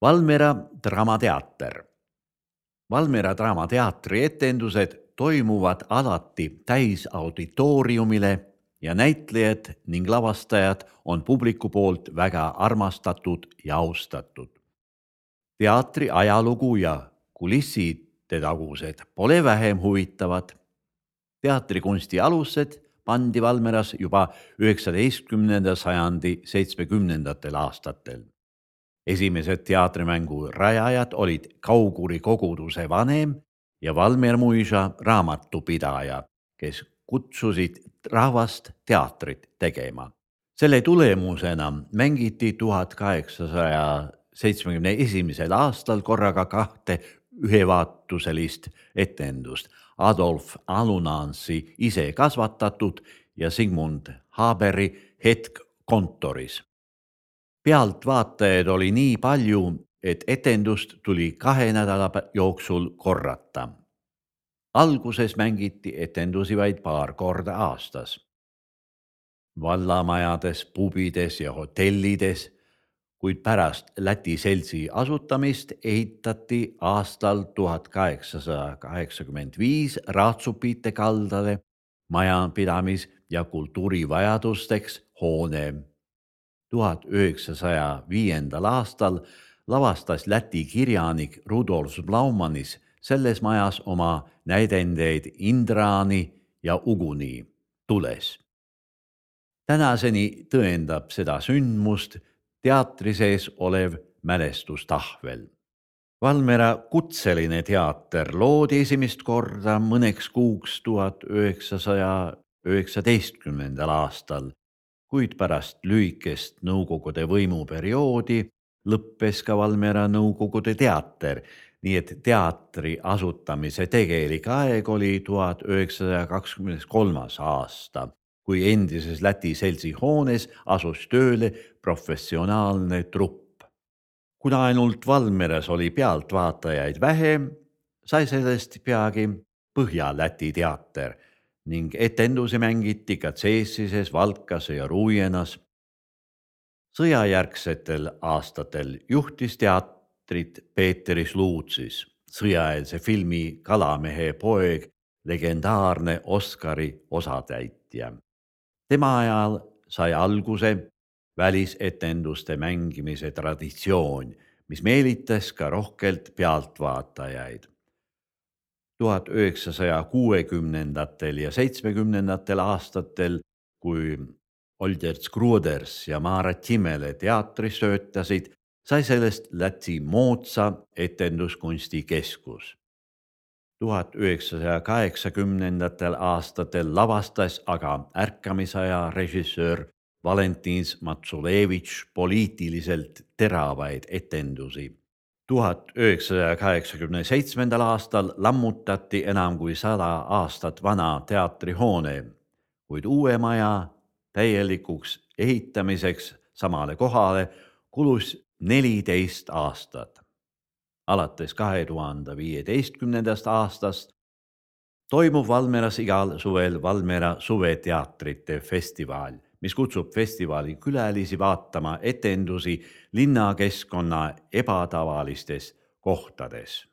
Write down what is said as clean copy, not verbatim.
Valmiera Draamateater. Valmiera Draamateatri etendused toimuvad alati täisauditooriumile ja näitlejad ning lavastajad on publiku poolt väga armastatud ja austatud. Teatri ajalugu ja kulisside tagused pole vähem huvitavad. Teatrikunsti alused pandi Valmieras juba 19. sajandi 70. aastatel. Esimesed teatrimängu rajajad olid Kauguri koguduse vanem ja Valmiera muisa raamatupidaja, kes kutsusid rahvast teatrit tegema. Selle tulemusena mängiti 1871. aastal korraga kahte ühevaatuselist etendust, Adolf Alunansi ise kasvatatud ja Sigmund Haberi Hetk kontoris. Pealtvaatajaid oli nii palju, et etendust tuli 2 nädala jooksul korrata. Alguses mängiti etendusi vaid paar korda aastas. Vallamajades, pubides ja hotellides, kuid pärast Läti seltsi asutamist ehitati aastal 1885 Raatsupite kaldale majapidamis- ja kultuurivajadusteks hoone. 1905. aastal lavastas Läti kirjanik Rudolf Blaumanis selles majas oma näidendeid Indrani ja Uguni tules. Tänaseni tõendab seda sündmust teatri sees olev mälestustahvel. Valmiera kutseline teater loodi esimest korda mõneks kuuks 1919. aastal, kuid pärast lühikest nõukogude võimuperioodi lõppes ka Valmiera nõukogude teater, nii et teatri asutamise tegelik aeg oli 1923. aasta, kui endises Läti seltsi hoones asus tööle professionaalne trupp. Kuna ainult Valmieras oli pealtvaatajaid vähe, sai sellest peagi Põhja-Läti teater ning etendusi mängiti ka Ceesises, Valkas ja Ruienas. Sõjajärgsetel aastatel juhtis teatrit Peeter Sluutsis, sõjaeelse filmi Kalamehe poeg, legendaarne Oscari osatäitja. Tema ajal sai alguse välisetenduste mängimise traditsioon, mis meelitas ka rohkelt pealtvaatajaid. 1960. ja 70. aastatel, kui Older Skruders ja Maarja Timele teatris töötasid, sai sellest Läti moodsa etenduskunsti keskus. 1980. aastatel lavastas aga ärkamisaja režissöör Valentin Matsulevitš poliitiliselt teravaid etendusi. 1987. aastal lammutati enam kui 100 aastat vana teatrihoone, kuid uue maja täielikuks ehitamiseks samale kohale kulus 14 aastat. Alates 2015. aastast toimub Valmieras igal suvel Valmiera suveteatrite festival, mis kutsub festivali külalisi vaatama etendusi linnakeskkonna ebatavalistes kohtades.